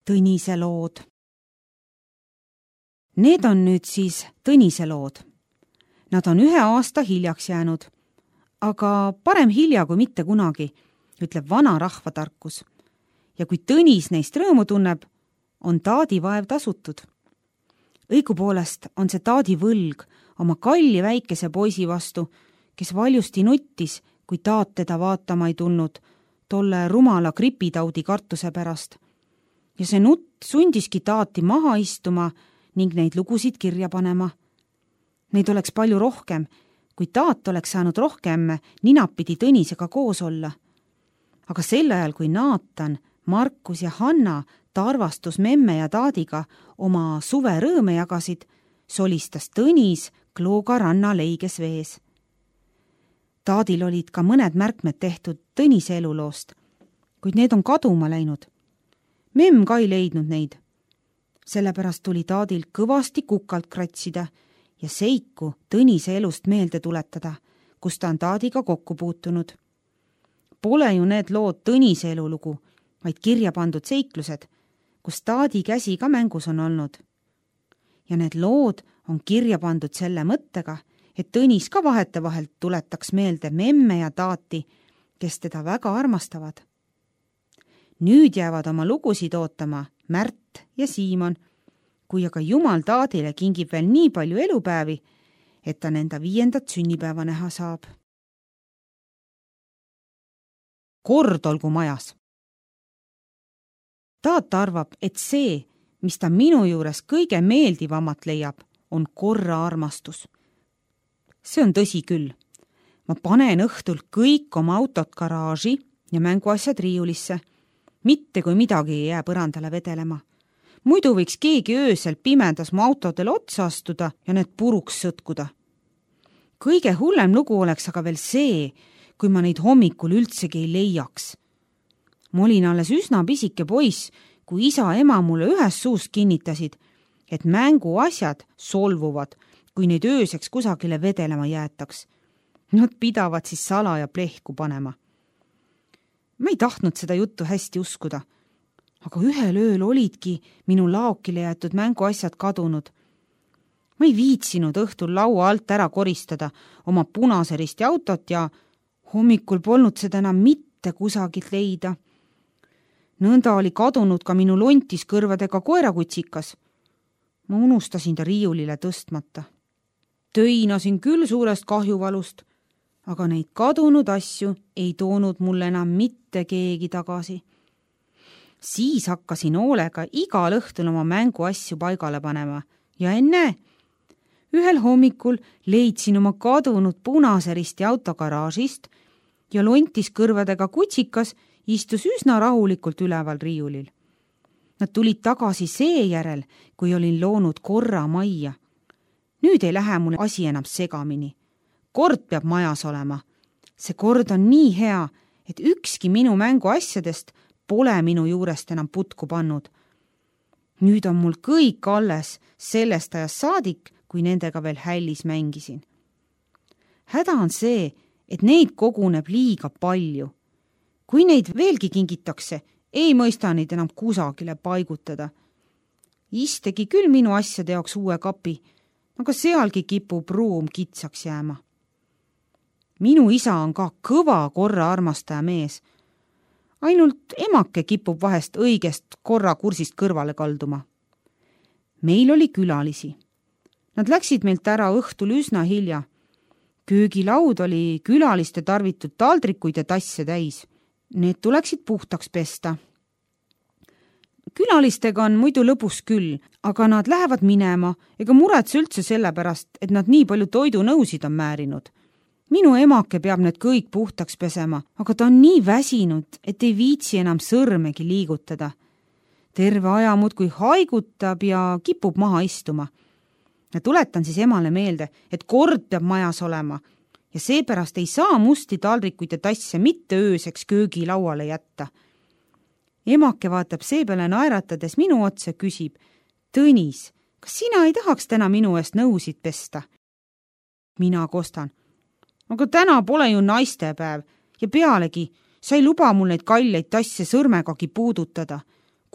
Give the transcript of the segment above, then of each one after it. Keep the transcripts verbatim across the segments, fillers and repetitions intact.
Tõnise lood. Need on nüüd siis Tõnise lood. Nad on ühe aasta hiljaks jäänud, aga parem hilja kui mitte kunagi, ütleb vana rahvatarkus. Ja kui Tõnis neist rõõmu tunneb, on taadi vaev tasutud. Õigupoolest on see taadi võlg oma kalli väikese poisi vastu, kes valjusti nuttis, kui taat teda vaatama ei tulnud, tolle rumala gripitaudi kartuse pärast. Ja see nutt sundiski taati maha istuma ning neid lugusid kirja panema. Neid oleks palju rohkem, kui taat oleks saanud rohkem ninapidi Tõnisega koos olla. Aga sel ajal, kui Naatan, Markus ja Hanna Tarvastus memme ja taadiga oma suve rõõme jagasid, solistas Tõnis Klooga ranna leiges vees. Taadil olid ka mõned märkmed tehtud Tõnise eluloost, kuid need on kaduma läinud. Memm ka ei leidnud neid. Sellepärast tuli taadil kõvasti kukalt kratsida ja seiku Tõnise elust meelde tuletada, kus ta on taadiga kokku puutunud. Pole ju need lood Tõnise elulugu, vaid kirja pandud seiklused, kus taadi käsi ka mängus on olnud. Ja need lood on kirja pandud selle mõttega, et Tõnis ka vahetevahelt tuletaks meelde memme ja taati, kes teda väga armastavad. Nüüd jäävad oma lugusid ootama Märt ja Siimon, kui aga Jumal taadile kingib veel nii palju elupäevi, et ta nenda viiendat sünnipäeva näha saab. Kord olgu majas. Taat arvab, et see, mis ta minu juures kõige meeldivamat leiab, on korra armastus. See on tõsi küll. Ma panen õhtul kõik oma autot garaaži ja mänguasjad riiulisse. Mitte kui midagi ei jää põrandale vedelema. Muidu võiks keegi öösel pimendas mu autodele otsa astuda ja need puruks sõtkuda. Kõige hullem lugu oleks aga veel see, kui ma neid hommikul üldsegi ei leiaks. Ma olin alles üsna pisike poiss, kui isa ja ema mulle ühes suust kinnitasid, et mänguasjad solvuvad, kui neid ööseks kusagile vedelema jäetaks. Nad pidavad siis sala ja plehku panema. Ma ei tahtnud seda juttu hästi uskuda, aga ühel ööl olidki minu laokile jäetud mänguasjad kadunud. Ma ei viitsinud õhtul laua alt ära koristada oma punase risti autot ja hommikul polnud seda enam mitte kusagilt leida. Nõnda oli kadunud ka minu lontis kõrvadega koerakutsikas. Ma unustasin ta riiulile tõstmata. Töinasin küll suurest kahjuvalust, aga neid kadunud asju ei toonud mulle enam mitte keegi tagasi. Siis hakkasin hoolega igal õhtul oma mänguasju paigale panema ja enne, ühel hommikul leidsin oma kadunud punase risti auto garaažist ja lontis kõrvadega kutsikas istus üsna rahulikult üleval riiulil. Nad tulid tagasi seejärel, kui olin loonud korra majja. Nüüd ei lähe mulle asi enam segamini. Kord peab majas olema. See kord on nii hea, et ükski minu mänguasjadest pole minu juurest enam putku pannud. Nüüd on mul kõik alles sellest ajast saadik, kui nendega veel hällis mängisin. Häda on see, et neid koguneb liiga palju. Kui neid veelgi kingitakse, ei mõista neid enam kusagile paigutada. Istegi küll minu asjade jaoks uue kapi, aga sealgi kipub ruum kitsaks jääma. Minu isa on ka kõva korra armastaja mees. Ainult emake kipub vahest õigest korra kursist kõrvale kalduma. Meil oli külalisi. Nad läksid meilt ära õhtul üsna hilja. Köögilaud oli külaliste tarvitud taldrikuid ja tasse täis. Need tuleksid puhtaks pesta. Külalistega on muidu lõbus küll, aga nad lähevad minema ega muretse üldse sellepärast, et nad nii palju toidunõusid on määrinud. Minu emake peab need kõik puhtaks pesema, aga ta on nii väsinud, et ei viitsi enam sõrmegi liigutada. Terve aja muudkui haigutab ja kipub maha istuma. Ja tuletan siis emale meelde, et kord peab majas olema ja seepärast ei saa musti taldrikuid ja tasse mitte ööseks köögilauale jätta. Emake vaatab seepeale naeratades minu otsa küsib, Tõnis, kas sina ei tahaks täna minu eest nõusid pesta? Mina kostan, aga täna pole ju naistepäev ja pealegi sa ei luba mul neid kalleid tasse sõrmegagi puudutada.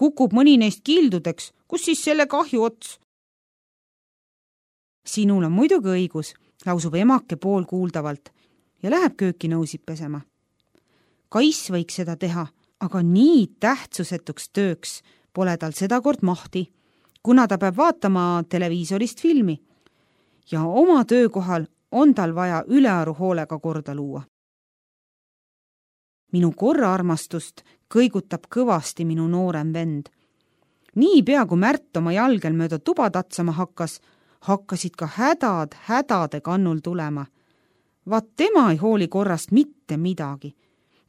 kukub mõni neist kildudeks, kus siis selle kahju ots? Sinul on muidugi õigus, lausub emake poolkuuldavalt ja läheb kööki nõusid pesema. Kais võiks seda teha, aga nii tähtsusetuks tööks pole tal sedakord mahti, kuna ta peab vaatama televiisorist filmi ja oma töökohal on tal vaja ülearu hoolega korda luua. Minu korraarmastust kõigutab kõvasti minu noorem vend. Nii pea, kui Märt oma jalgel mööda tuba tatsama hakkas, hakkasid ka hädad hädade kannul tulema. Vaat tema ei hooli korrast mitte midagi.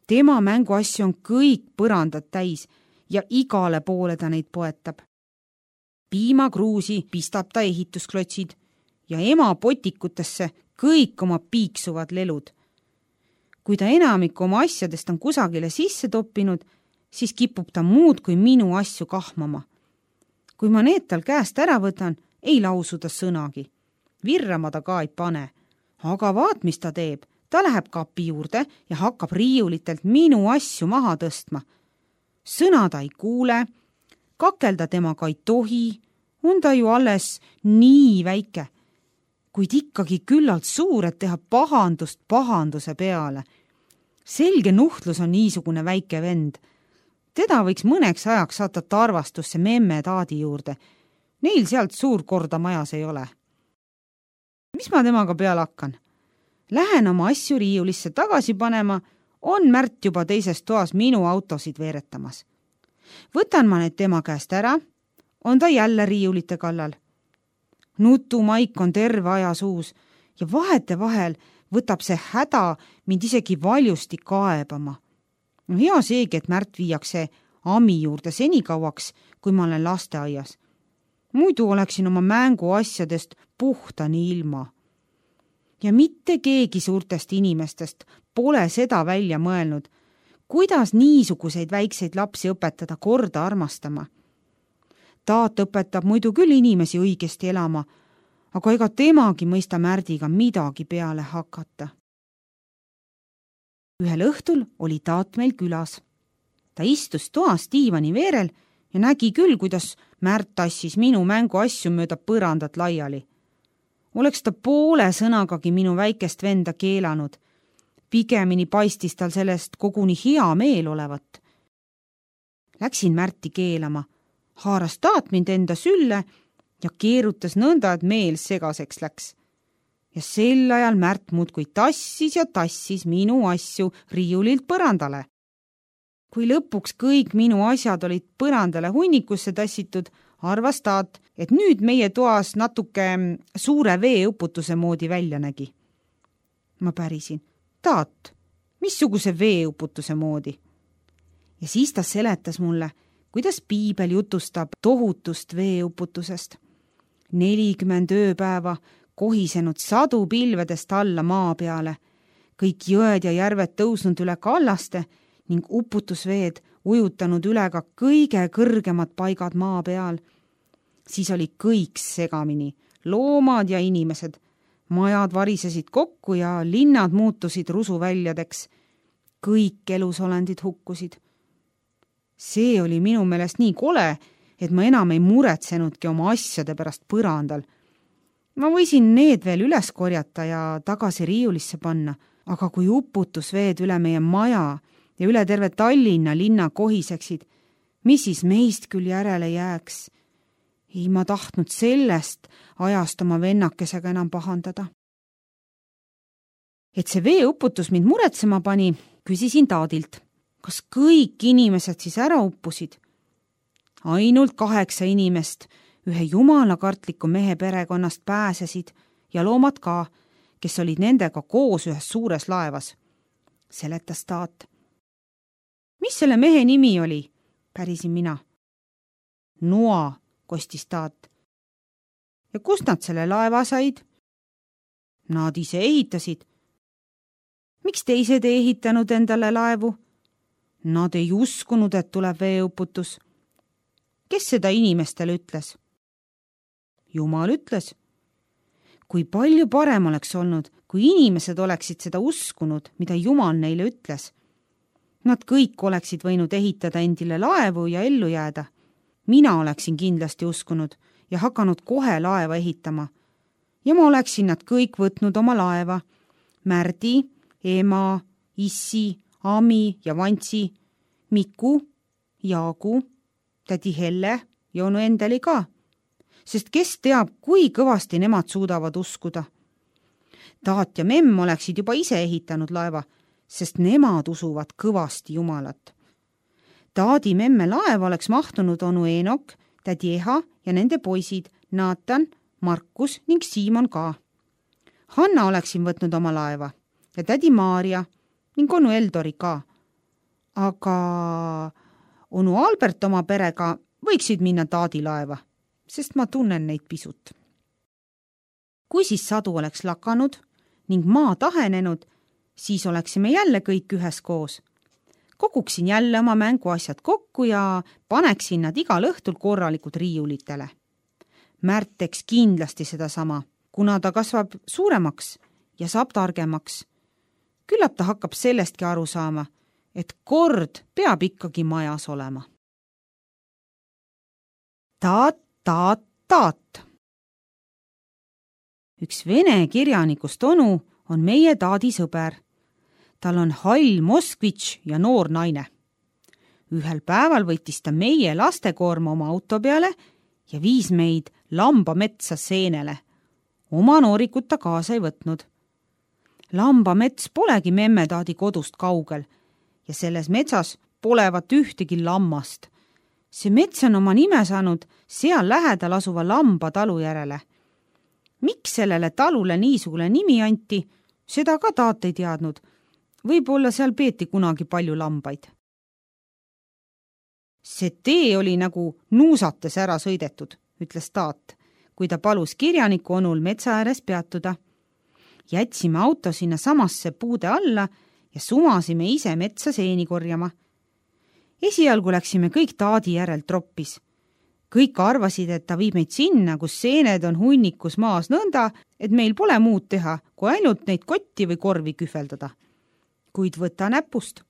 Tema mänguasju on kõik põrandad täis ja igale poole ta neid poetab. Piimakruusi pistab ta ehitusklotsid ja ema potikutesse kõik oma piiksuvad lelud. Kui ta enamiku oma asjadest on kusagile sisse toppinud, siis kipub ta muud kui minu asju kahmama. Kui ma need tal käest ära võtan, ei lausu ta sõnagi. Virrama ta ka ei pane. Aga vaat, mis ta teeb. Ta läheb kapi juurde ja hakkab riiulitelt minu asju maha tõstma. Sõna ta ei kuule, kakelda temaga ei tohi, on ta ju alles nii väike. Kuid ikkagi küllalt suur, et teha pahandust pahanduse peale. Selge nuhtlus on niisugune väike vend. Teda võiks mõneks ajaks saata tarvastusse memme taadi juurde. Neil sealt suur korda majas ei ole. Mis ma temaga peale hakkan? Lähen oma asju riiulisse tagasi panema, on Märt juba teises toas minu autosid veeretamas. Võtan ma need tema käest ära, on ta jälle riiulite kallal. Nutumaik on terve aja suus ja vahete vahel võtab see häda mind isegi valjusti kaebama. No hea seegi, et Märt viiakse Ami juurde senikauaks, kui ma olen lasteaias. Muidu oleksin oma mänguasjadest puhtani ilma. Ja mitte keegi suurtest inimestest pole seda välja mõelnud, kuidas niisuguseid väikseid lapsi õpetada korda armastama. Taat õpetab muidu küll inimesi õigesti elama, aga ega temagi mõista Märdiga midagi peale hakata. Ühel õhtul oli Taat meil külas. Ta istus toas diivani veerel ja nägi küll, kuidas Märt tassis minu mänguasju mööda põrandat laiali. Oleks ta poole sõnagagi minu väikest venda keelanud. Pigemini paistis tal sellest koguni hea meel olevat. Läksin Märti keelama, haaras Taat mind enda sülle ja keerutas nõnda, et meel segaseks läks. Ja sel ajal Märt muudkui tassis ja tassis minu asju riiulilt põrandale. Kui lõpuks kõik minu asjad olid põrandale hunnikusse tassitud, arvas Taat, et nüüd meie toas natuke suure veeuputuse moodi välja nägi. Ma pärisin, Taat, missuguse veeuputuse moodi? Ja siis ta seletas mulle, kuidas piibel jutustab tohutust veeuputusest. nelikümmend ööpäeva kohisenud sadu pilvedest alla maa peale, kõik jõed ja järved tõusnud üle kallaste ning uputusveed ujutanud üle ka kõige kõrgemad paigad maa peal. Siis oli kõik segamini, loomad ja inimesed. Majad varisesid kokku ja linnad muutusid rusuväljadeks. Kõik elusolendid hukkusid. See oli minu meelest nii kole, et ma enam ei muretsenudki oma asjade pärast põrandal. Ma võisin need veel üles korjata ja tagasi riiulisse panna, aga kui uputusveed üle meie maja ja üle terve Tallinna linna kohiseksid, mis siis meist küll järele jääks? Ei ma tahtnud sellest ajast oma vennakesega enam pahandada. Et see veeuputus mind muretsema pani, küsisin Taadilt, kas kõik inimesed siis ära uppusid? Ainult kaheksa inimest ühe jumalakartliku mehe perekonnast pääsesid ja loomad ka, kes olid nendega koos ühes suures laevas. Seletas Taat. Mis selle mehe nimi oli? Pärisin mina. Noa, kostis Taat. Ja kust nad selle laeva said? Nad ise ehitasid. Miks teised ei ehitanud endale laevu? Nad ei uskunud, et tuleb veeuputus. Kes seda inimestele ütles? Jumal ütles. Kui palju parem oleks olnud, kui inimesed oleksid seda uskunud, mida Jumal neile ütles. Nad kõik oleksid võinud ehitada endile laevu ja ellu jääda. mina oleksin kindlasti uskunud ja hakanud kohe laeva ehitama. Ja ma oleksin nad kõik võtnud oma laeva. Märdi, ema, issi, Ami ja Vantsi, Miku, Jaagu, tädi Helle ja onu Endeli ka. Sest kes teab, kui kõvasti nemad suudavad uskuda. Taat ja memm oleksid juba ise ehitanud laeva, sest nemad usuvad kõvasti Jumalat. Taadi memme laeva oleks mahtunud onu Eenok, tädi Eha ja nende poisid Naatan, Markus ning Siimon ka. Hanna oleksin võtnud oma laeva ja tädi Maarja ning onu Eldori ka. Aga onu Albert oma perega võiksid minna Taadi laeva, sest ma tunnen neid pisut. Kui siis sadu oleks lakanud ning maa tahenenud, siis oleksime jälle kõik üheskoos. Koguksin jälle oma mänguasjad kokku ja paneksin nad igal õhtul korralikult riiulitele. Märt teeks kindlasti seda sama, kuna ta kasvab suuremaks ja saab targemaks. Küllap ta hakkab sellestki aru saama, et kord peab ikkagi majas olema. Taat, taat, taat. Üks vene kirjanikust onu on meie Taadi sõber. Tal on hall Moskvitš ja noor naine. Ühel päeval võttis ta meie lastekoorma oma auto peale ja viis meid Lambametsa seenele. Oma noorikut ta kaasa ei võtnud. Lambamets polegi memme Taadi kodust kaugel ja selles metsas polevat ühtegi lammast. See mets on oma nime saanud seal lähedal asuva Lamba talu järele. Miks sellele talule niisugune nimi anti, seda ka Taat ei teadnud. Võib-olla seal peeti kunagi palju lambaid. See tee oli nagu nuusates ära sõidetud, ütles Taat, kui ta palus kirjaniku onul metsa ääres peatuda. Jätsime auto sinna samasse puude alla ja sumasime ise metsa seeni korjama. Esialgu läksime kõik Taadi järel troppis. Kõik arvasid, et ta viib meid sinna, kus seened on hunnikus maas nõnda, et meil pole muud teha, kui ainult neid kotti või korvi kühveldada. Kuid võta näpust.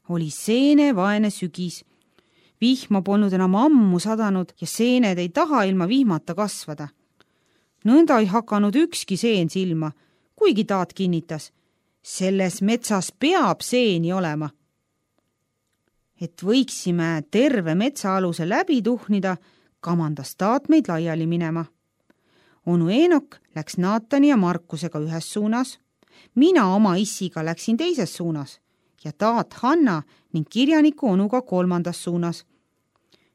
Oli seene vaene sügis. Vihma polnud enam ammu sadanud ja seened ei taha ilma vihmata kasvada. Nõnda ei hakanud ükski seen silma, kuigi Taat kinnitas. Selles metsas peab seeni olema. Et võiksime terve metsaaluse läbi tuhnida, kamandas Taat meid laiali minema. Onu Eenok läks Naatani ja Markusega ühes suunas. Mina oma issiga läksin teises suunas ja Taat Hanna ning kirjaniku onuga kolmandas suunas.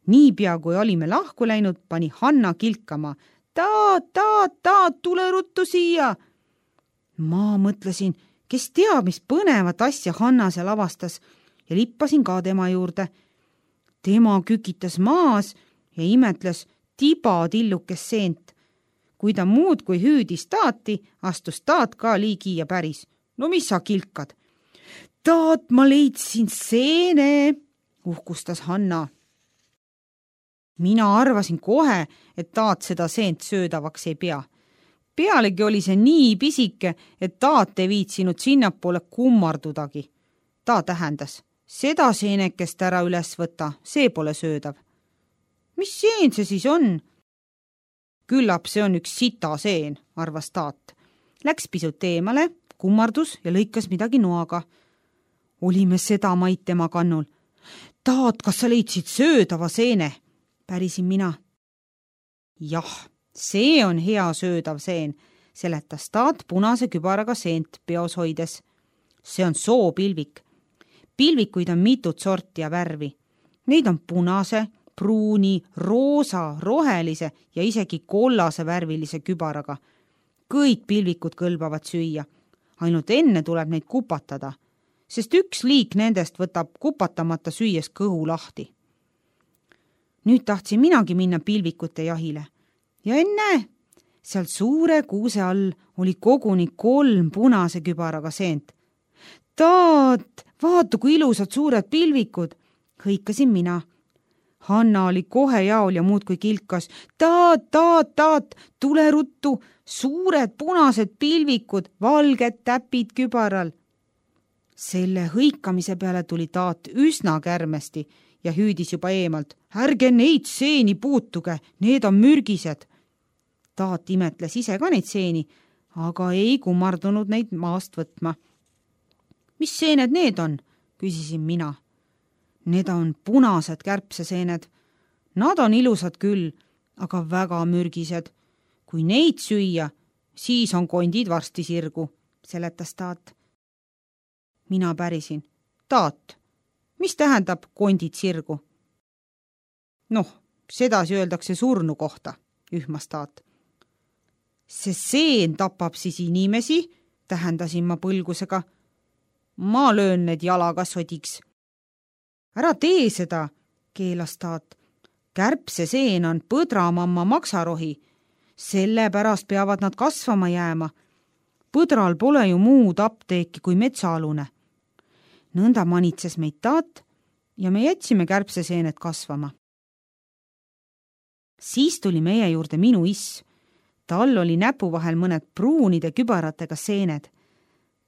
Niipea kui olime lahku läinud, pani Hanna kilkama. Taat, taat, taat, tule ruttu siia! Ma mõtlesin, kes teab, mis põnevat asja Hanna seal avastas ja lippasin ka tema juurde. Tema kükitas maas ja imetles tibatillukes seent. Kui ta muud kui hüüdis Taati, astus Taat ka liigi ja päris. No mis sa kilkad? Taat, ma leidsin seene, uhkustas Hanna. Mina arvasin kohe, et Taat seda seent söödavaks ei pea. Pealegi oli see nii pisike, et Taat ei viitsinud sinnapoole kummardudagi. Ta tähendas, seda seenekest ära üles võtta, see pole söödav. Mis seen see siis on? Küllap see on üks sita seen, arvas Taat. Läks pisut eemale, kummardus ja lõikas midagi noaga. Olime seda maid tema kannul. Taat, kas sa leidsid söödava seene? Pärisin mina. Jah, see on hea söödav seen, seletas Taat punase kübaraga seent peos hoides. See on soopilvik. Pilvikuid on mitut sorti ja värvi. Neid on punase, pruuni, roosa, rohelise ja isegi kollase värvilise kübaraga. Kõik pilvikud kõlbavad süüa. Ainult enne tuleb neid kupatada, sest üks liik nendest võtab kupatamata süües kõhu lahti. Nüüd tahtsin minagi minna pilvikute jahile. Ja enne, seal suure kuuse all oli koguni kolm punase kübaraga seent. Taat, vaata kui ilusad suured pilvikud, hõikasin mina. Hanna oli kohe jaol ja muudkui kilkas. Taat, taat, taat, tule ruttu, suured punased pilvikud, valged täpid kübaral. Selle hõikamise peale tuli Taat üsna kärmesti ja hüüdis juba eemalt. Ärge neid seeni puutuge, need on mürgised. Taat imetles ise ka neid seeni, aga ei kummardunud neid maast võtma. Mis seened need on? Küsisin mina. Need on punased kärbseseened. Nad on ilusad küll, aga väga mürgised. Kui neid süüa, siis on kondid varsti sirgu, seletas Taat. Mina pärisin. Taat, mis tähendab kondid sirgu? Noh, sedasi öeldakse surnu kohta, ühmas Taat. See seen tapab siis inimesi, tähendasin ma põlgusega. Ma löön need jalaga sodiks. Ära tee seda, keelas Taat. Kärbseseen on põdramamma maksarohi. Sellepärast peavad nad kasvama jääma. Põdral pole ju muud apteeki kui metsaalune. Nõnda manitses meid Taat ja me jätsime kärbseseened kasvama. Siis tuli meie juurde minu iss. Tal oli näpu vahel mõned pruunide kübaratega seened.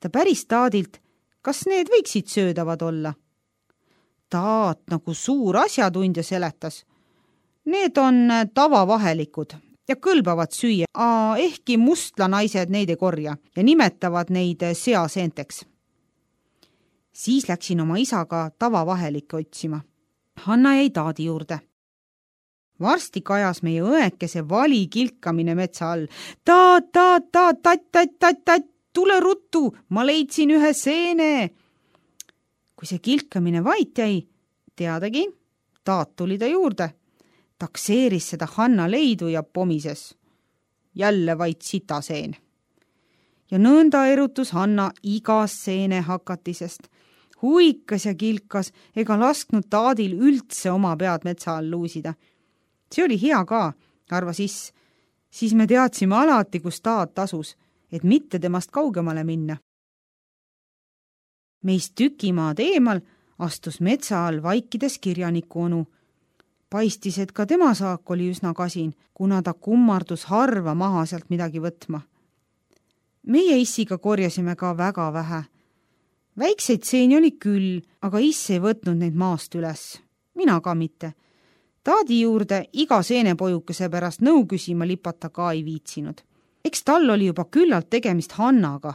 Ta päris Taadilt, kas need võiksid söödavad olla? Taat nagu suur asjatundja seletas. Need on tavavahelikud ja kõlbavad süüa, ehkki mustlanaised neid ei korja ja nimetavad neid seaseenteks. Siis läksin oma isaga tavavahelikke otsima. Hanna jäi Taadi juurde. Varsti kajas meie õekese vali kilkamine metsa all. Taat, taat, taat, tatt, tatt, tatt, tatt, tule ruttu, ma leidsin ühe seene. Kui see kilkamine vait jäi, teadagi, Taat tuli ta juurde. Takseeris seda Hanna leidu ja pomises. Jälle vaid sitaseen. Ja nõnda erutus Hanna igas seene hakatisest. Huikas ja kilkas ega lasknud Taadil üldse oma pead metsa all luusida. See oli hea ka, arvas iss. Siis me teadsime alati, kus Taat asus, et mitte temast kaugemale minna. Meist tükimaad eemal astus metsa all vaikides kirjaniku onu. Paistis, et ka tema saak oli üsna kasin, kuna ta kummardus harva maha sealt midagi võtma. Meie issiga korjasime ka väga vähe. Väikseid seeni oli küll, aga iss ei võtnud neid maast üles. Mina ka mitte. Taadi juurde iga seenepojukese pärast nõu küsima lipata ka ei viitsinud. Eks tal oli juba küllalt tegemist Hannaga,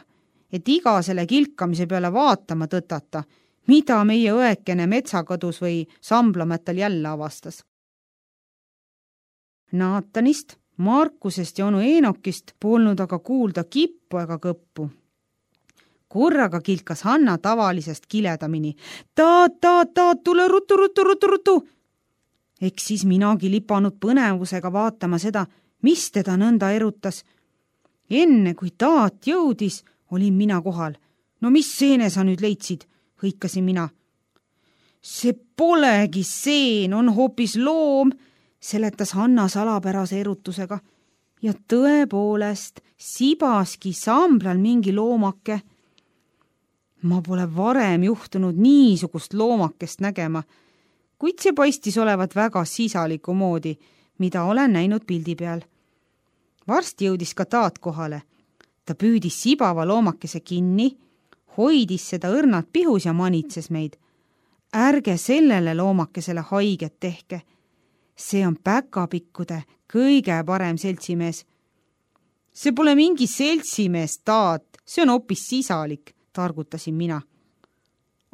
et iga selle kilkamise peale vaatama tõtata, mida meie õekene metsakõdus või Samplamättal jälle avastas. Naatanist, Markusest ja onu Eenokist polnud aga kuulda kippu ega kõppu. Korraga kilkas Hanna tavalisest kiledamini. Taat, taat, taat, tule ruttu, ruttu, ruttu, ruttu. Eks siis minagi lipanud põnevusega vaatama seda, mis teda nõnda erutas. Enne kui Taat jõudis, olin mina kohal. No mis seene sa nüüd leidsid? Hõikasin mina. See polegi seen, on hoopis loom, seletas Hanna salapärase erutusega. Ja tõepoolest, sibaski Samblal mingi loomake. Ma pole varem juhtunud niisugust loomakest nägema, kuid see paistis olevat väga sisaliku moodi, mida olen näinud pildi peal. Varsti jõudis ka Taat kohale. Ta püüdis sibava loomakese kinni, hoidis seda õrnalt pihus ja manitses meid. Ärge sellele loomakesele haiget tehke. See on päkapikkude kõige parem seltsimees. See pole mingi seltsimees, Taat, see on hoopis sisalik, targutasin mina.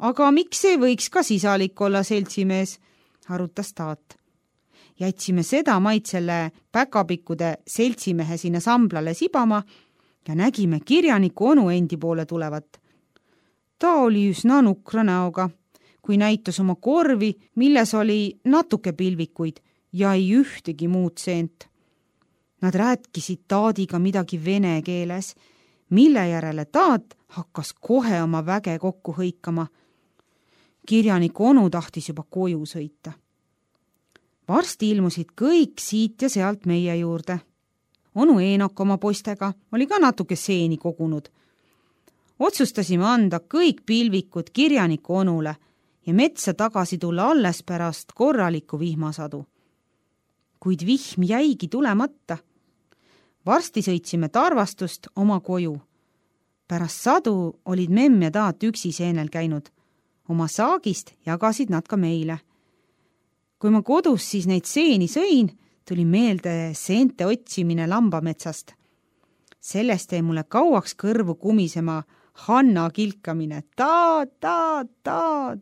Aga miks ei võiks ka sisalik olla seltsimees, arutas Taat. Jätsime seda maid selle päkapikkude seltsimehe sinna Samblale sibama ja nägime kirjaniku onu endi poole tulevat. Ta oli üsna nukra näoga, kui näitas oma korvi, milles oli natuke pilvikuid ja ei ühtegi muud seent. Nad rääkisid Taadiga midagi vene keeles, mille järele Taat hakkas kohe oma väge kokku hõikama. Kirjaniku onu tahtis juba koju sõita. Varsti ilmusid kõik siit ja sealt meie juurde. Onu Eenok oma poistega oli ka natuke seeni kogunud. Otsustasime anda kõik pilvikud kirjaniku onule ja metsa tagasi tulla alles pärast korralikku vihmasadu. Kuid vihm jäigi tulemata. Varsti sõitsime Tarvastust oma koju. Pärast sadu olid memm ja Taat üksi seenel käinud. Oma saagist jagasid nad ka meile. kui ma kodus siis neid seeni sõin, tuli meelde seente otsimine lambametsast. Sellest jäi mulle kauaks kõrvu kumisema Hanna kilkamine. Ta, ta, ta,